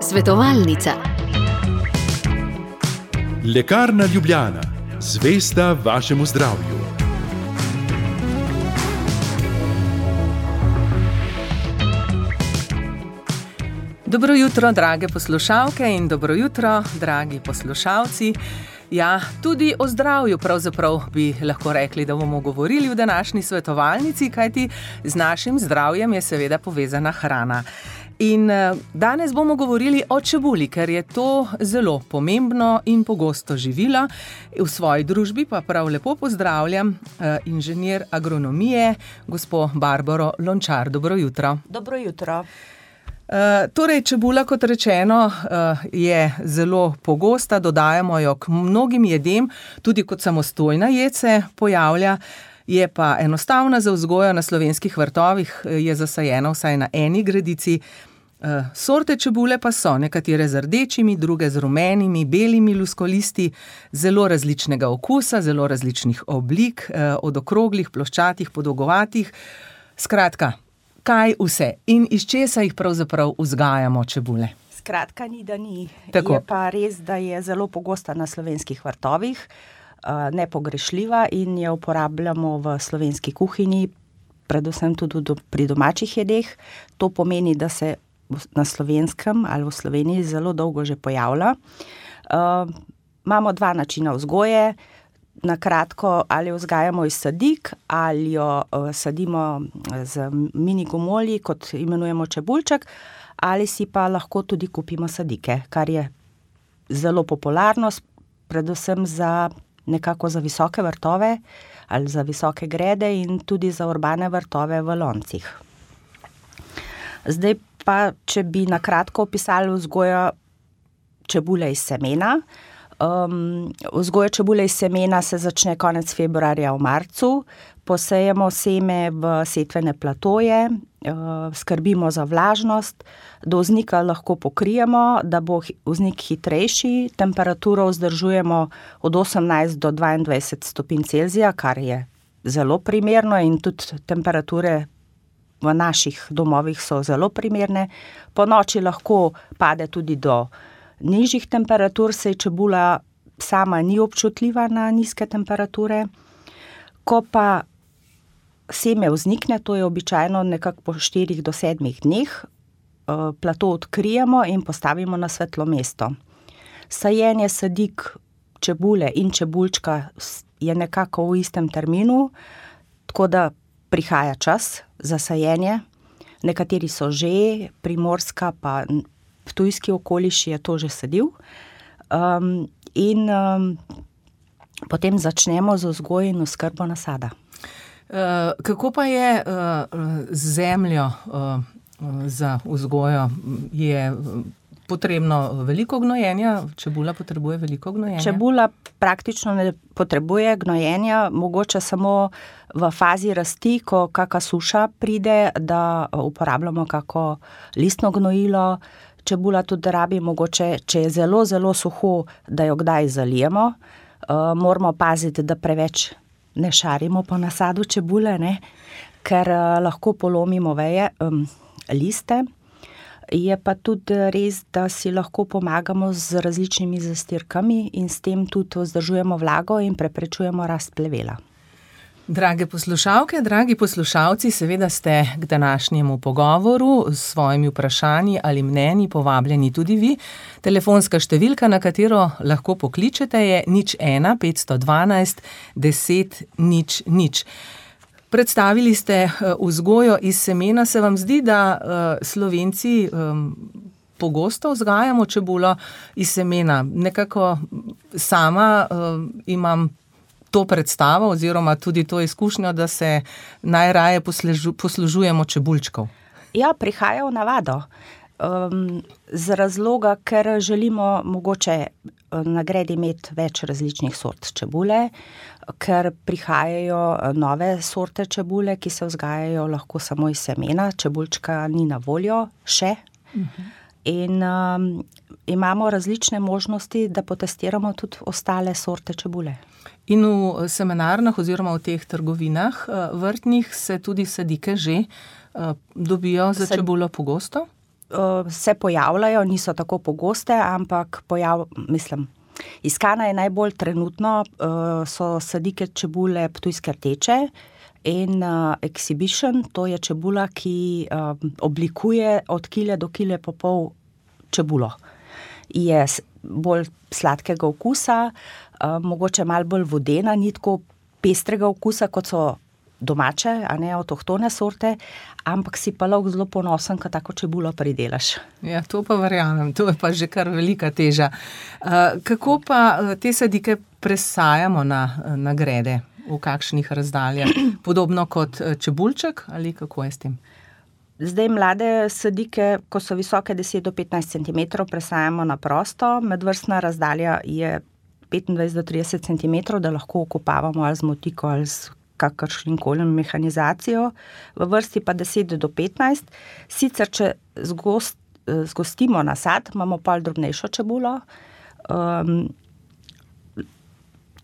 Svetovalnica. Lekarna Ljubljana, zvesta vašemu zdravju. Dobro jutro, drage poslušalke in dobro jutro, dragi poslušalci. Ja, tudi o zdravju pravzaprav bi lahko rekli, da bomo govorili v današnji svetovalnici, kajti z našim zdravjem je seveda povezana hrana. In danes bomo govorili o čebuli, ker je to zelo pomembno in pogosto živilo. V svoji družbi pa prav lepo pozdravljam inženir agronomije, gospo Barbaro Lončar. Dobro jutro. Dobro jutro. Torej, čebula, kot rečeno, je zelo pogosta, dodajamo jo k mnogim jedem, tudi kot samostojna jed se pojavlja, je pa enostavna za vzgojo na slovenskih vrtovih, je zasajena vsaj na eni gredici. Sorte čebule pa so nekatere z rdečimi, druge z rumenimi, belimi luskolisti, zelo različnega okusa, zelo različnih oblik, od okroglih, ploščatih, podolgovatih. Skratka, kaj vse in iz česa jih pravzaprav vzgajamo čebule? Skratka, ni da ni. Tako. Je pa res, da je zelo pogosta na slovenskih vrtovih, nepogrešljiva in jo uporabljamo v slovenski kuhinji, predvsem tudi pri domačih jedeh. To pomeni, da se na Slovenskem ali v Sloveniji zelo dolgo že pojavlja. Imamo dva načina vzgoje. Na kratko, ali vzgajamo iz sadik, ali jo sadimo z mini gomolji, kot imenujemo čebulček, ali si pa lahko tudi kupimo sadike, kar je zelo popularno, predvsem nekako za visoke vrtove ali za visoke grede in tudi za urbane vrtove v loncih. Zdaj pa, če bi na kratko opisali vzgojo čebule iz semena. Vzgoja čebule iz semena se začne konec februarja v marcu, posejemo seme v setvene platoje, skrbimo za vlažnost, do vznika lahko pokrijemo, da bo vznik hitrejši, temperaturo vzdržujemo od 18 do 22 stopinj Celzija, kar je zelo primerno in tudi temperature v naših domovih so zelo primerne. Po noči lahko pade tudi do nižjih temperatur, saj čebula sama ni občutljiva na nizke temperature. Ko pa seme vznikne, to je običajno nekako po 4 do 7 dneh, plato odkrijemo in postavimo na svetlo mesto. Sajenje sadik čebule in čebulčka je nekako v istem terminu, tako da prihaja čas za sajenje. Nekateri so že, Primorska pa ptujski okoliš je to že sadil. Potem začnemo z vzgojo in oskrbo nasada. Kako pa je z zemljo za vzgojo? Je potrebno veliko gnojenja? Čebula potrebuje veliko gnojenja? Čebula praktično ne potrebuje gnojenja, mogoče samo v fazi rasti, ko kaka suša pride, da uporabljamo kako listno gnojilo. Čebula tudi rabi mogoče, če je zelo, zelo suho, da jo kdaj zalijemo. Moramo paziti, da preveč ne šarimo po nasadu čebule, ne? Ker lahko polomimo veje, liste. Je pa tudi res, da si lahko pomagamo z različnimi zastirkami in s tem tudi vzdržujemo vlago in preprečujemo rast plevela. Drage poslušalke, dragi poslušalci, seveda ste k današnjemu pogovoru s svojimi vprašanji ali mnenji povabljeni tudi vi. Telefonska številka, na katero lahko pokličete, je 01 512 10 00. Predstavili ste vzgojo iz semena. Se vam zdi, da Slovenci pogosto vzgajamo čebulo iz semena? Nekako sama imam to predstavo oziroma tudi to izkušnjo, da se najraje poslužujemo čebulčkov. Ja, prihaja v navado. Z razloga, ker želimo mogoče na gredi imeti več različnih sort čebule, ker prihajajo nove sorte čebule, ki se vzgajajo lahko samo iz semena, čebulčka ni na voljo še. In imamo različne možnosti, da potestiramo tudi ostale sorte čebule. In v semenarnah oziroma v teh trgovinah vrtnih se tudi sadike že dobijo za čebulo pogosto? se pojavljajo, niso tako pogoste, ampak iskana je najbolj trenutno, so sadike čebule ptujske rdeče in exhibition, to je čebula, ki oblikuje od kile do kile pa pol čebulo. Je bolj sladkega okusa, mogoče malo bolj vodena, ni tako pestrega okusa, kot so domače, a ne avtohtone sorte, ampak si pa lahko zelo ponosen, ko tako čebulo pridelaš. Ja, to pa verjamem, to je pa že kar velika teža. Kako pa te sadike presajamo na grede? V kakšnih razdaljah? Podobno kot čebulček ali kako je s tem? Zdaj mlade sadike, ko so visoke 10 do 15 cm, presajamo na prosto. Medvrstna razdalja je 25 do 30 cm, da lahko okopavamo ali z motiko ali z kakršnikoli mehanizacijo. V vrsti pa 10 do 15. Sicer, če zgostimo nasad, imamo pol drobnejšo čebulo.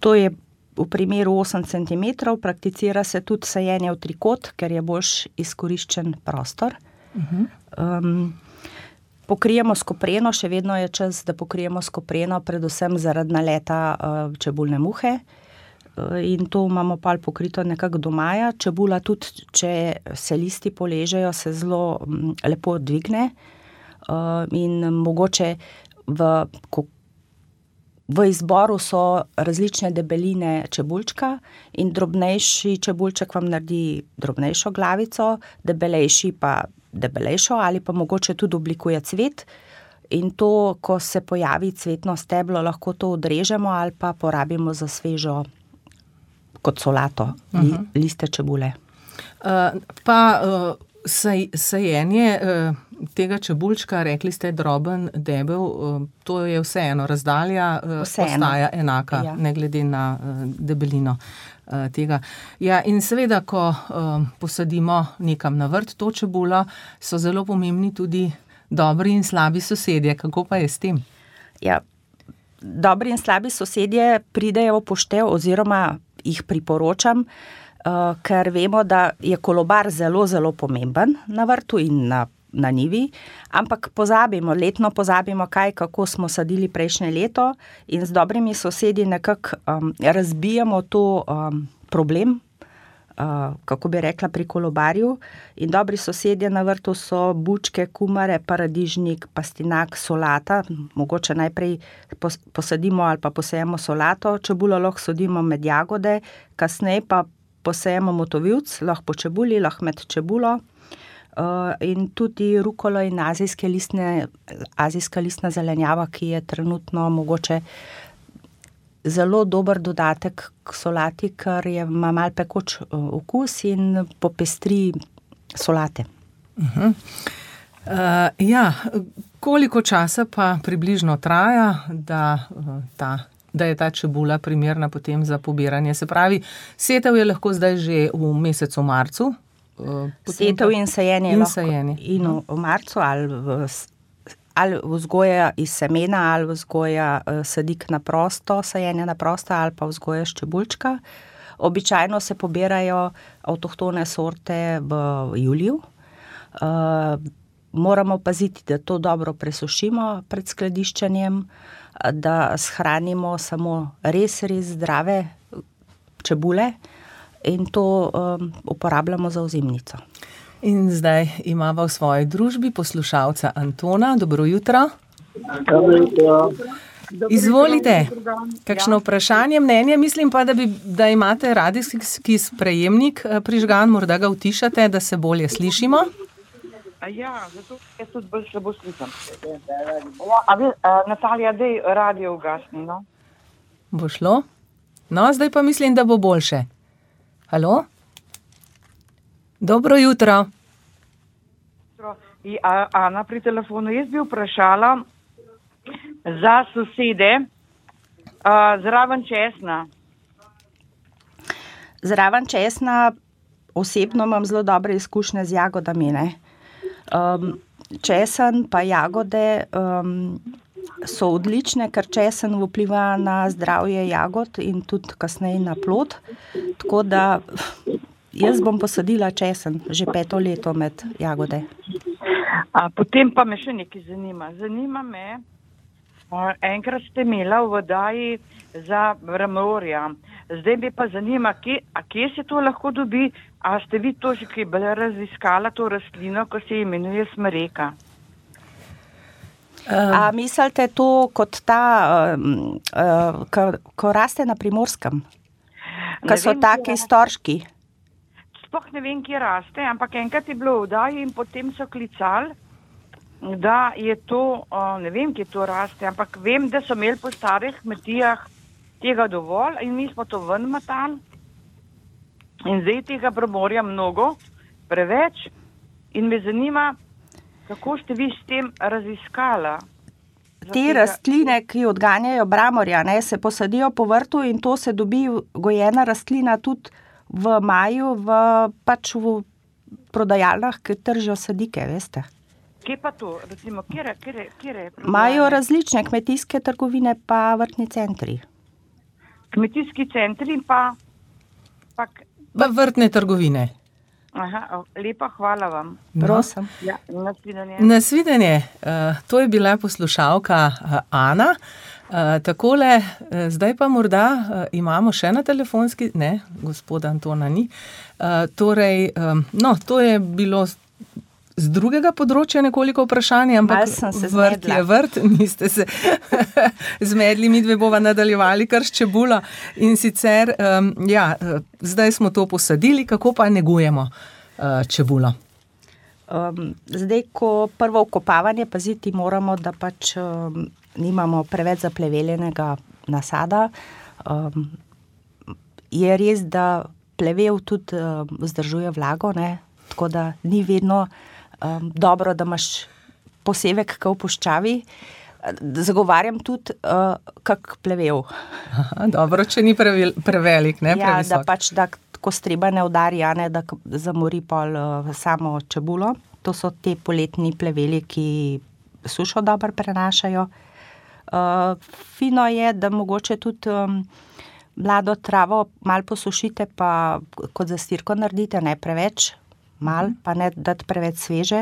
To je v primeru 8 cm, prakticira se tudi sajenje v trikot, ker je boljš izkoriščen prostor. Pokrijemo s kopreno, še vedno je čas, da pokrijemo s kopreno, predvsem zaradi naleta čebulne muhe. In to imamo pol pokrito nekako do maja. Čebula tudi, če se listi poležejo, se zelo lepo dvigne. In mogoče v izboru so različne debeline čebulčka in drobnejši čebulček vam naredi drobnejšo glavico, debelejši pa debelejšo ali pa mogoče tudi oblikuje cvet. In to, ko se pojavi cvetno steblo, lahko to odrežemo ali pa porabimo za svežo kot solato, liste čebule. Sajenje tega čebulčka, rekli ste droben, debel, to je vseeno, razdalja ostaja enaka, ja. Ne glede na debelino tega. Ja, in seveda, ko posadimo nekam na vrt to čebulo, so zelo pomembni tudi dobri in slabi sosedje. Kako pa je s tem? Ja, dobri in slabi sosedje pridejo v poštev oziroma jih priporočam, ker vemo, da je kolobar zelo, zelo pomemben na vrtu in na njivi, ampak letno pozabimo kako smo sadili prejšnje leto in z dobrimi sosedi nekako razbijamo to problem, kako bi rekla, pri kolobarju. In dobri sosedje na vrtu so bučke, kumare, paradižnik, pastinak, solata. Mogoče najprej posadimo ali pa posejemo solato, čebulo lahko sadimo med jagode, kasneje pa posejemo motovilc, lahko po čebuli, lahko med čebulo. In tudi rukolo in azijska listna zelenjava, ki je trenutno mogoče zelo dober dodatek k solati, ker ima malo pekoč okus in popestri solate. Ja, koliko časa pa približno traja, da je ta čebula primerna potem za pobiranje? Se pravi, setev je lahko zdaj že v mesecu marcu? Setev in sajenje in v marcu ali vzgoja iz semena ali vzgoja sadik na prosto, sajenje na prosto ali pa vzgoja s čebulčka. Običajno se pobirajo avtohtone sorte v juliju. Moramo paziti, da to dobro presušimo pred skladiščenjem, da shranimo samo res zdrave čebule in to uporabljamo za ozimnico. In zdaj imamo v svoji družbi poslušalca Antona. Dobro jutro. Dobro jutro. Izvolite, kakšno vprašanje, mnenje? Mislim pa, da imate radijski sprejemnik prižgan, morda ga utišate, da se bolje slišimo. Ja, zato jaz tudi bolj slabo slišam. Natalija, daj radio ugasni, no? Bo šlo? No, zdaj pa mislim, da bo boljše. Halo? Dobro jutro. Ana pri telefonu, jaz bi vprašala za sosede zraven česna. Zraven česna osebno imam zelo dobre izkušnje z jagodami, ne. Česen pa jagode so odlične, ker česen vpliva na zdravje jagod in tudi kasneje na plod. Tako da jaz bom posadila česen že 5. leto med jagode. Potem pa me še nekaj zanima. Zanima me, enkrat ste imela v oddaji za bramorja. Zdaj me pa zanima, kje se to lahko dobi, a ste vi to že kaj bolj raziskala, to rastlino, ko se imenuje smreka? A mislite to kot ta, ko raste na Primorskem? Ko so taki storški? Sploh ne vem, kje raste, ampak enkrat je bilo v oddaji in potem so klicali, da je to, ne vem, kje to raste, ampak vem, da so imeli po starih kmetijah tega dovolj in mi smo to ven matali in zdaj tega bramorja mnogo, preveč in me zanima, kako ste vi s tem raziskala? Te rastline, ki odganjajo bramorja, ne, se posadijo po vrtu in to se dobi gojena rastlina tudi v maju, pač v prodajalnah, ki tržijo sadike, veste. Kje pa to? Recimo, kjere imajo različne kmetijske trgovine pa vrtni centri. Kmetijski centri in pa vrtne trgovine. Aha, lepa, hvala vam. Prosim. Ja, nasvidenje. Nasvidenje. To je bila poslušalka Ana. Takole, zdaj pa morda imamo še na telefonski, ne, gospoda Antona ni. Torej, to je bilo z drugega področja nekoliko vprašanje, ampak vrt je vrt, niste se zmedli, mi dve bova nadaljevali kar s čebulo in sicer, zdaj smo to posadili, kako pa negujemo čebulo? Zdaj, ko prvo vkopavanje paziti moramo, da pač nimamo preveč zapleveljenega nasada. Je res, da plevel tudi vzdržuje vlago, ne? Tako da ni vedno dobro, da imaš posevek v puščavi. Zagovarjam tudi kak plevel. Dobro, če ni prevelik, ne, previsok. Ja, da pač, da ko streba ne udari, ne, da zamori pol samo čebulo. To so te poletni pleveli, ki sušo dobro prenašajo. Fino je, da mogoče tudi mlado travo malo posušite, pa kot zastirko naredite, ne preveč, malo, pa ne dati preveč sveže.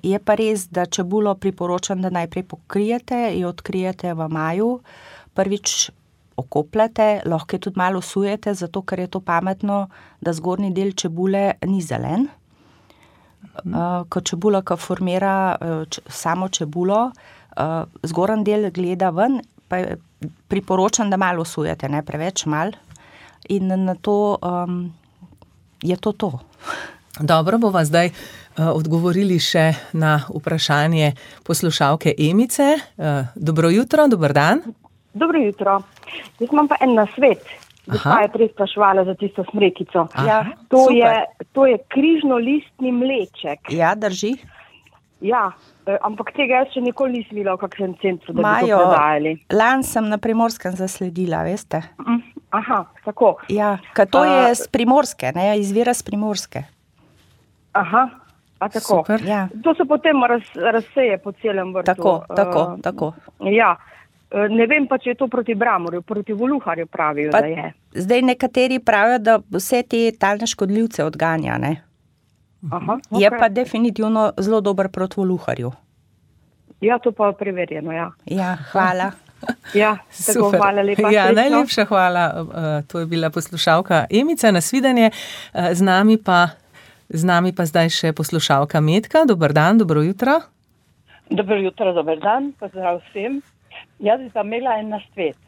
Je pa res, da čebulo priporočam, da najprej pokrijete, jo odkrijete v maju, prvič okopljate, lahko tudi malo osujete, zato ker je to pametno, da zgornji del čebule ni zelen. Ko čebula, ko formira samo čebulo, zgornji del gleda ven, pa priporočam, da malo osujete, ne preveč, malo. In na to je to. Dobro, bova zdaj odgovorili še na vprašanje poslušalke Emice. Dobro jutro, dober dan. Dobro jutro. Jaz imam pa en nasvet. Gospa je prej spraševala za tisto smrekico. To je križnolistni mleček. Ja, drži. Ja, ampak tega jaz še nikoli nisem videla v kakšnem centru, da bi to prodajali. Lani sem na Primorskem zasledila, veste. Aha, tako. Ja, ker to je z Primorske, ne, izvira z Primorske. Aha, a tako. Super. Ja. To se potem razseje po celem vrtu. Tako. Ja, ne vem pa, če je to proti bramorju, proti voluharju pravijo, da je. Zdaj nekateri pravijo, da vse te talne škodljivce odganja, ne. Aha, okay. Je pa definitivno zelo dober proti voluharju. Ja, to pa je preverjeno, ja. Ja, hvala. Ja, tako, hvala lepa. Ja, najlepša hvala. To je bila poslušalka Emica, nasvidenje. Z nami pa zdaj še poslušalka Metka. Dober dan, dobro jutro. Dobro jutro, dober dan, pozdrav vsem. Jaz bi pa imela en nasvet.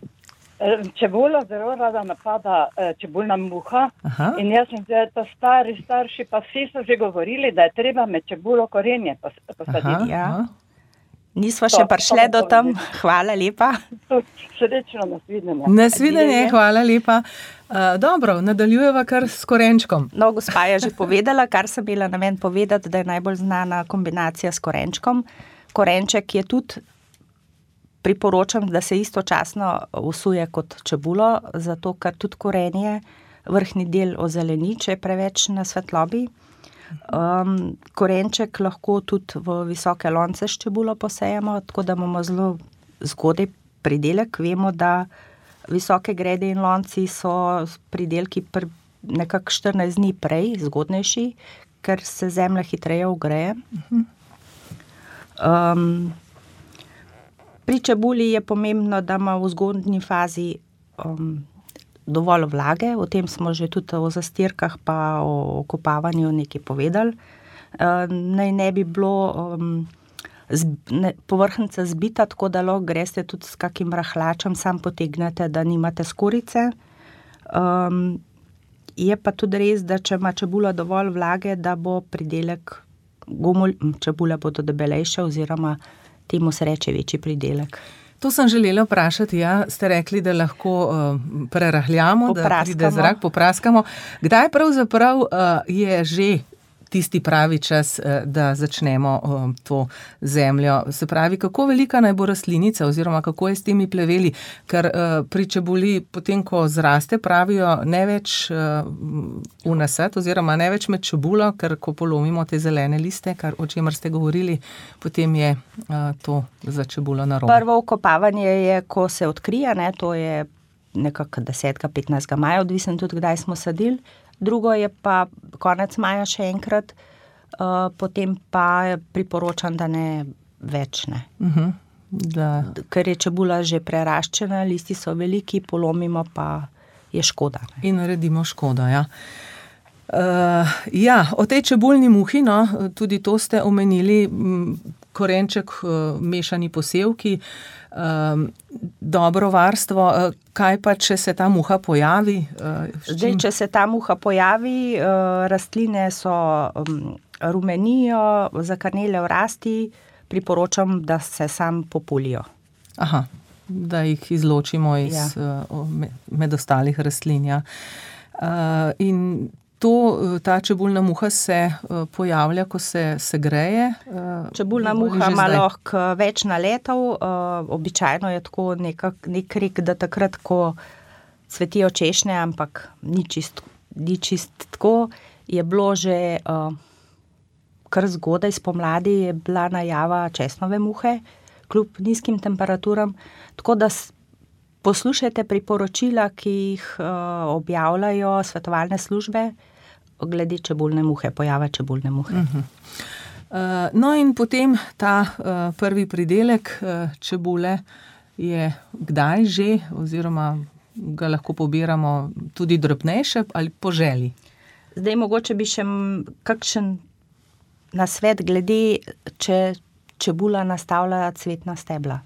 Čebulo zelo rada napada čebulna muha. Aha. In jaz sem zdaj, to starši pa vsi so že govorili, da je treba med čebulo korenje posaditi. Ja. Nismo še prišli do tam. Hvala lepa. Srečno, nasvidenje. Nasvidenje, hvala lepa. Dobro, nadaljujeva kar s korenčkom. No, gospa je že povedala, kar sem imela namen povedati, da je najbolj znana kombinacija s korenčkom. Korenček je tudi, priporočam, da se istočasno usuje kot čebulo, zato ker tudi korenje vrhnji del ozeleni, če je preveč na svetlobi. Korenček lahko tudi v visoke lonce s čebulo posejemo, tako da imamo zelo zgodaj pridelek. Vemo, da visoke grede in lonci so pridelki nekako 14 dni prej, zgodnejši, ker se zemlja hitreje ogreje. Pri čebuli je pomembno, da ima v zgodnji fazi dovolj vlage, o tem smo že tudi o zastirkah pa o kopavanju nekaj povedali. Naj ne bi bilo povrhnjica zbita, tako da lahko greste tudi s kakim rahlačem, sam potegnete, da nimate skorice. Je pa tudi res, da če ima čebula dovolj vlage, da bo pridelek, čebule bodo debelejše oziroma temu se reče večji pridelek. To sem želela vprašati, ja, ste rekli, da lahko prerahljamo, da pride zrak, popraskamo. Kdaj pravzaprav je že tisti pravi čas, da začnemo to zemljo? Se pravi, kako velika naj bo rastlinica oziroma kako je s temi pleveli? Ker pri čebuli, potem ko zraste, pravijo ne več v nasad oziroma ne več med čebulo, ker ko polomimo te zelene liste, o čemer ste govorili, potem je to za čebulo narobe. Prvo vkopavanje je, ko se odkrije, ne, to je nekako 10. 15. maja, odvisno tudi, kdaj smo sadili. Drugo je pa konec maja še enkrat, potem pa priporočam, da ne več ne. Ker je čebula že preraščena, listi so veliki, polomimo pa je škoda. Ne? In naredimo škodo, ja. O tej čebulni muhi, no, tudi to ste omenili, korenček, mešani posevki, dobro varstvo. Kaj pa, če se ta muha pojavi? Zdaj, če se ta muha pojavi, rastline so rumenijo, zakrnele v rasti, priporočam, da se sam populijo. Aha, da jih izločimo med ostalih rastlin, ja. In ta čebulna muha se pojavlja, ko se segreje? Čebulna muha ima lahko več naletov, običajno je tako nek rek, da takrat, ko cvetijo češnje, ampak ni čist tako, je bilo že kar zgodaj spomladi je bila najava česnove muhe, kljub nizkim temperaturam, tako da poslušajte priporočila, ki jih objavljajo svetovalne službe glede čebulne muhe, pojava čebulne muhe. No in potem ta prvi pridelek čebule je kdaj že, oziroma ga lahko pobiramo tudi drobnejše ali po želji? Zdaj mogoče bi še kakšen nasvet glede, če čebula nastavlja cvetna stebla.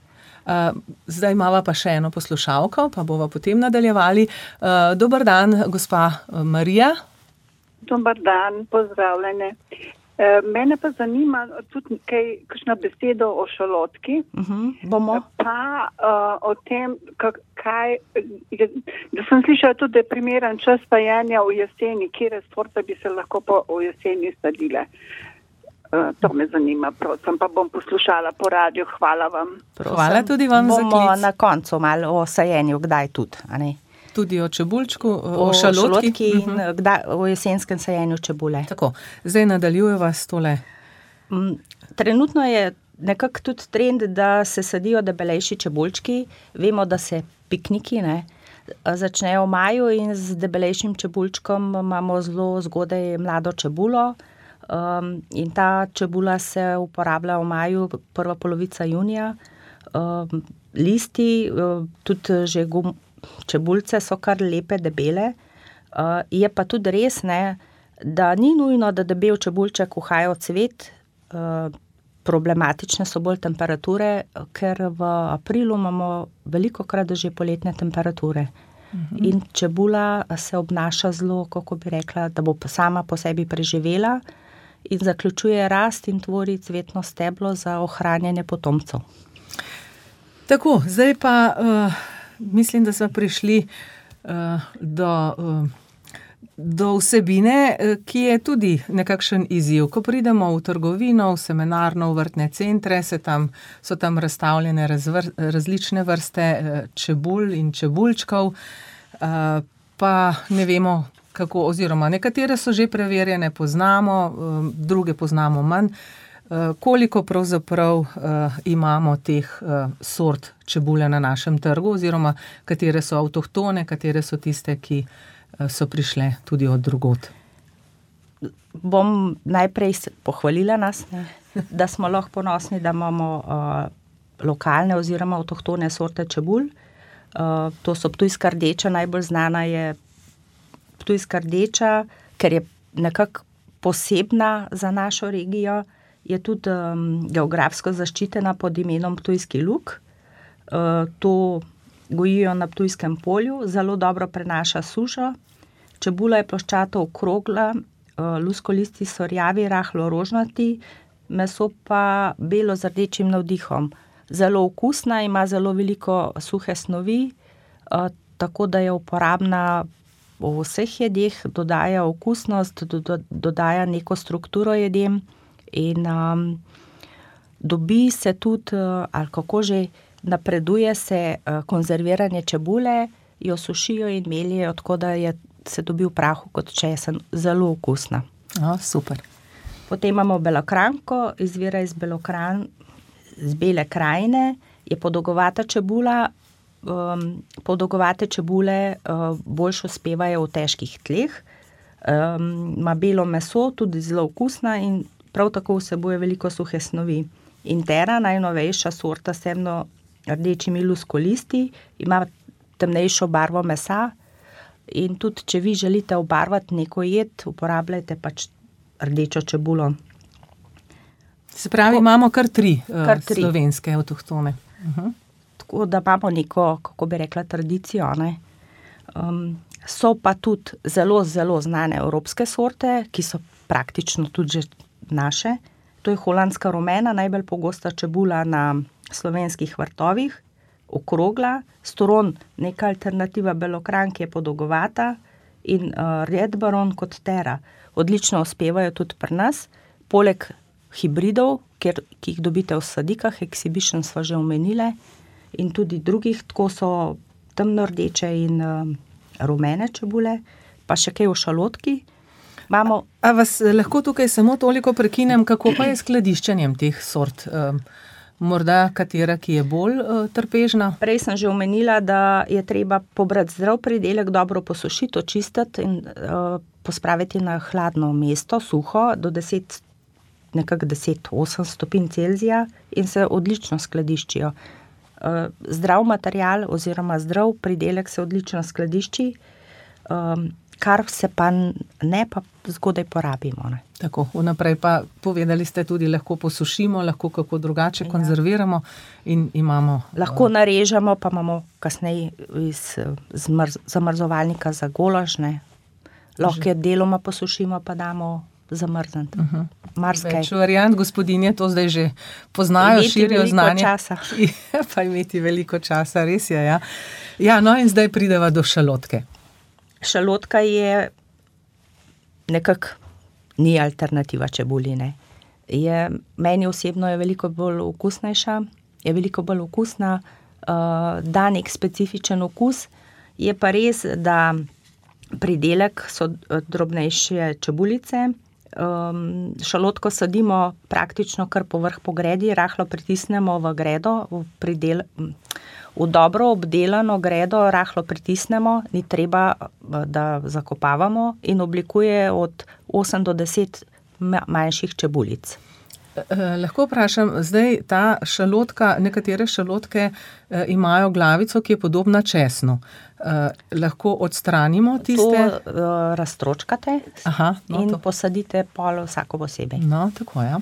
Zdaj imava pa še eno poslušalko, pa bova potem nadaljevali. Dober dan, gospa Marija. Dober dan, pozdravljene. Mene pa zanima tudi kakšna besedo o šalotki. Bomo. Pa o tem, da sem slišala tudi, da je primeren čas sajenja v jeseni, kjer sorte bi se lahko v jeseni sadile. To me zanima, prosim, pa bom poslušala po radiju. Hvala vam. Hvala tudi vam za klic. Bomo na koncu malo o sajenju, kdaj tudi, a ne? Tudi o čebulčku, o šalotki in o jesenskem sajenju čebule. Tako, zdaj nadaljujeva s tole. Trenutno je nekako tudi trend, da se sadijo debelejši čebulčki. Vemo, da se pikniki začnejo v maju in z debelejšim čebulčkom imamo zelo zgodaj mlado čebulo. In ta čebula se uporablja v maju, prva polovica junija. Listi, tudi že čebulce so kar lepe, debele. Je pa tudi res, da ni nujno, da debel čebulček uhaja v cvet. Problematične so bolj temperature, ker v aprilu imamo velikokrat že poletne temperature. In čebula se obnaša zelo, kako bi rekla, da bo sama po sebi preživela in zaključuje rast in tvori cvetno steblo za ohranjanje potomcev. Tako, zdaj pa mislim, da smo prišli do vsebine, ki je tudi nekakšen izziv. Ko pridemo v trgovino, v semenarno, v vrtne centre, so tam razstavljene različne vrste čebul in čebulčkov, pa ne vemo, kako, oziroma nekatere so že preverjene, poznamo, druge poznamo manj. Koliko pravzaprav imamo teh sort čebule na našem trgu, oziroma katere so avtohtone, katere so tiste, ki so prišle tudi od drugod? Bom najprej pohvalila nas. da smo lahko ponosni, da imamo lokalne oziroma avtohtone sorte čebul. To so ptujska rdeča, najbolj znana je ptujska rdeča, ker je nekako posebna za našo regijo, je tudi geografsko zaščitena pod imenom ptujski luk. To gojijo na Ptujskem polju, zelo dobro prenaša sušo. Čebula je ploščato okrogla, luskolisti so rjavi, rahlo rožnati, meso pa belo z rdečim navdihom. Zelo okusna, ima zelo veliko suhe snovi, tako da je uporabna v vseh jedeh, dodaja okusnost, dodaja neko strukturo jedem in dobi se tudi, ali kako že, napreduje se konzerviranje čebule, jo sušijo in meljejo, tako da se dobi v prahu kot česen, zelo okusna. Super. Potem imamo belokranjko, izvira iz Bele krajine, je podolgovata čebula. Podolgovate čebule boljše uspevajo v težkih tleh. Ima belo meso, tudi zelo okusna in prav tako vsebuje veliko suhe snovi. Intera, najnovejša sorta s temno rdečimi luskolisti, ima temnejšo barvo mesa in tudi, če vi želite obarvati neko jed, uporabljajte pač rdečo čebulo. Se pravi, imamo kar tri slovenske avtohtone. Tako da imamo neko, kako bi rekla, tradicijo. So pa tudi zelo, zelo znane evropske sorte, ki so praktično tudi že naše. To je holandska rumena, najbolj pogosta čebula na slovenskih vrtovih, okrogla, storon, neka alternativa belokranjke je podolgovata in Red Baron kot Tera. Odlično uspevajo tudi pri nas, poleg hibridov, ki jih dobite v sadikah, Exhibition sva že omenile, in tudi drugih, tako so temno rdeče in rumene čebule, pa še kaj v šalotki. A vas lahko tukaj samo toliko prekinem, kako pa je skladiščenjem teh sort? Morda katera, ki je bolj trpežna? Prej sem že omenila, da je treba pobrati zdrav pridelek, dobro posušiti, očistiti in pospraviti na hladno mesto, suho, do 10-8 stopinj Celzija in se odlično skladiščijo. Zdrav material oziroma zdrav pridelek se odlično skladišči, kar se pa ne, pa zgodaj porabimo. Ne? Tako, vnaprej pa povedali ste tudi, lahko posušimo, lahko kako drugače konzerviramo in imamo... Lahko narežemo, pa imamo kasneje iz zamrzovalnika za golaž, ne? Lahko deloma posušimo, pa damo zamrzniti. Več variant, gospodinje to zdaj že poznajo, širijo znanje. Pa imeti veliko časa, res je, ja. Ja, no in zdaj prideva do šalotke. Šalotka je nekako ni alternativa čebuli, ne. Meni osebno je veliko bolj okusnejša, je veliko bolj okusna, da nek specifičen okus. Je pa res, da pridelek so drobnejše čebulice. Šalotko sadimo praktično kar povrh po gredi, rahlo pritisnemo v gredo, v dobro obdelano gredo rahlo pritisnemo, ni treba, da zakopavamo in oblikuje od 8 do 10 manjših čebulic. Lahko vprašam, zdaj ta šalotka, nekatere šalotke imajo glavico, ki je podobna česnu. Lahko odstranimo tiste? To raztročkate in posadite pol vsako posebej. No, tako, ja.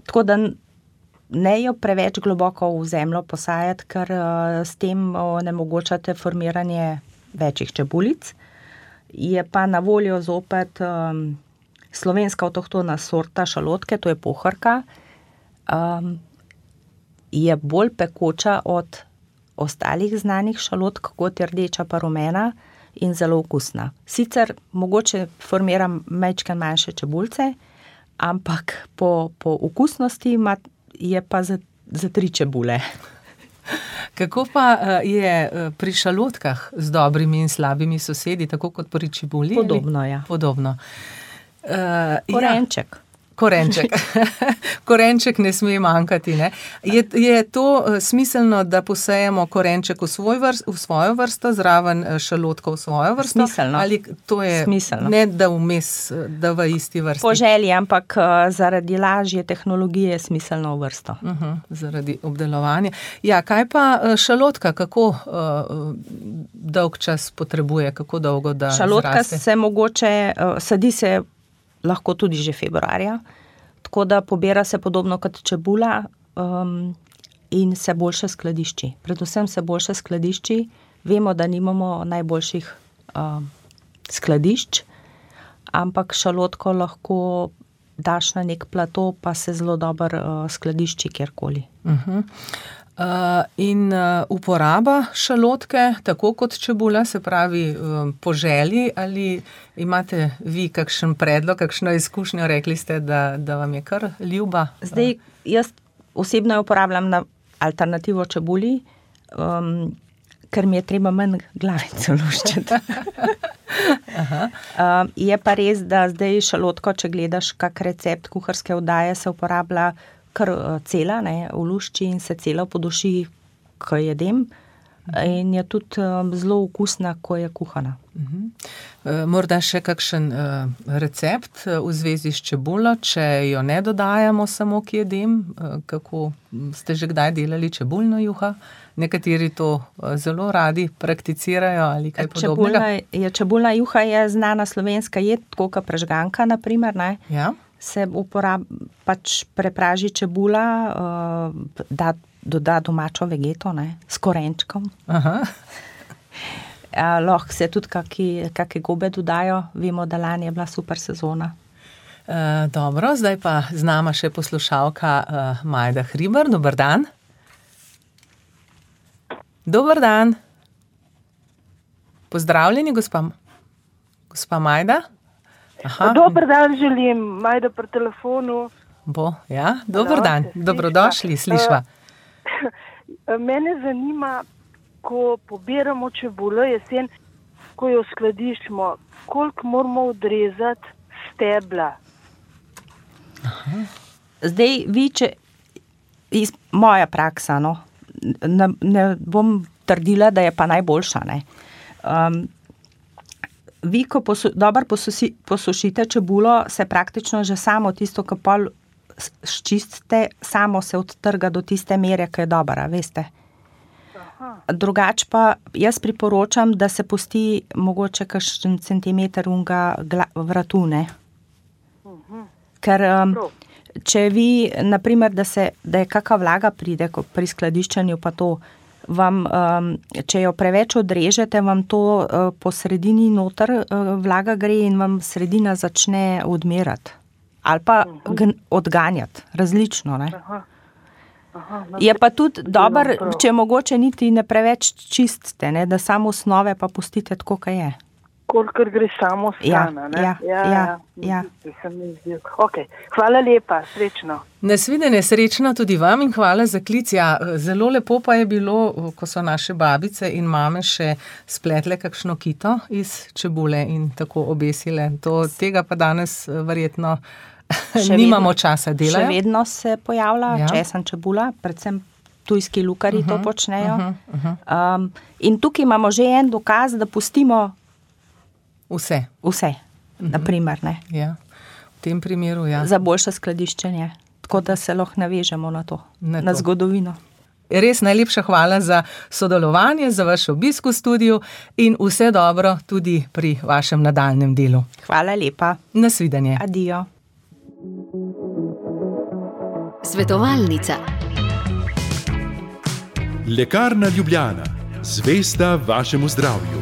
Tako da ne jo preveč globoko v zemljo posajati, ker s tem onemogočate formiranje večjih čebulic. Je pa na voljo zopet slovenska avtohtona sorta šalotke, to je pohorka. Je bolj pekoča od ostalih znanih šalotk, kot je rdeča pa rumena in zelo okusna. Sicer mogoče formira majčkeno manjše čebulce, ampak po okusnosti je pa za 3 čebule. Kako pa je pri šalotkah z dobrimi in slabimi sosedi, tako kot pri čebuli? Podobno, ja. Podobno. Korenček. Korenček ne sme manjkati, ne? Je to smiselno, da posejemo korenček v svojo vrsto, zraven šalotka v svojo vrsto? Smiselno. Ali to je smiselno. Ne da vmes, da v isti vrsti? Po želji, ampak zaradi lažje tehnologije je smiselno v vrsto. Zaradi obdelovanja. Ja, kaj pa šalotka, kako dolg čas potrebuje, kako dolgo da šalotka zraste? Se mogoče, sadi se lahko tudi že februarja, tako da pobira se podobno kot čebula in se boljše skladišči. Predvsem se boljše skladišči. Vemo, da nimamo najboljših skladišč, ampak šalotko lahko daš na nek plato, pa se zelo dobro skladišči kjerkoli. In uporaba šalotke, tako kot čebula, se pravi po želji, ali imate vi kakšen predlog, kakšno izkušnjo, rekli ste, da vam je kar ljuba? Zdaj, jaz osebno jo uporabljam na alternativo čebuli, ker mi je treba manj glavico luščiti. Je pa res, da zdaj šalotko, če gledaš kak recept kuharske oddaje, se uporablja kar cela, ne, v lušči in se cela poduši, ko jedem. In je tudi zelo okusna, ko je kuhana. Morda še kakšen recept v zvezi s čebulo, če jo ne dodajamo samo k jedem, kako ste že kdaj delali čebulno juha? Nekateri to zelo radi prakticirajo ali kaj podobnega. Čebulna juha je znana slovenska jed, tako kot prežganka, na primer, ne? Ja. Se pač prepraži čebula, doda domačo vegeto, ne, s korenčkom. Lahko se tudi kakšne gobe dodajo. Vemo, da lani je bila super sezona. Dobro, zdaj pa z nama še poslušalka Majda Hribar. Dober dan. Dober dan. Pozdravljeni, gospa Majda. Dober dan želim, Majda pri telefonu. Ja, dober dan, dobrodošli, slišva. Mene zanima, ko pobiramo čebulo jesen, ko jo skladiščimo, koliko moramo odrezati stebla? Zdaj, moja praksa, no, ne bom trdila, da je pa najboljša, ne. Vi, ko dobro posušite čebulo, se praktično že samo tisto, ko pol ščistite, samo se odtrga do tiste mere, ki je dobra, veste. Drugače pa jaz priporočam, da se pusti mogoče kakšen centimeter unga vratu, ne. Ker če vi, na primer, da je kakva vlaga pride pri skladiščenju, pa to vam, če jo preveč odrežete, vam to po sredini noter vlaga gre in vam sredina začne odmerati. Ali pa odganjati, različno, ne. Je pa tudi dobro, če mogoče niti ne preveč čistite, ne, da samo osnove pa pustite tako, kaj je. Kolikor gre samo strana, ne? Ja. Ok, hvala lepa, srečno. Nasvidenje, srečno tudi vam in hvala za klic. Ja, zelo lepo pa je bilo, ko so naše babice in mame še spletle kakšno kito iz čebule in tako obesile. Tega pa danes verjetno nimamo časa delati. Še vedno se pojavlja česen čebula, predvsem tujski lukarji to počnejo. In tukaj imamo že en dokaz, da pustimo vse, na primer, ne. Ja, v tem primeru, ja. Za boljše skladiščenje, tako da se lahko navežemo na to, na zgodovino. Res najlepša hvala za sodelovanje, za vaš obisk v studiu in vse dobro tudi pri vašem nadaljnjem delu. Hvala lepa. Nasvidenje. Adijo. Svetovalnica. Lekarna Ljubljana. Zvesta vašemu zdravju.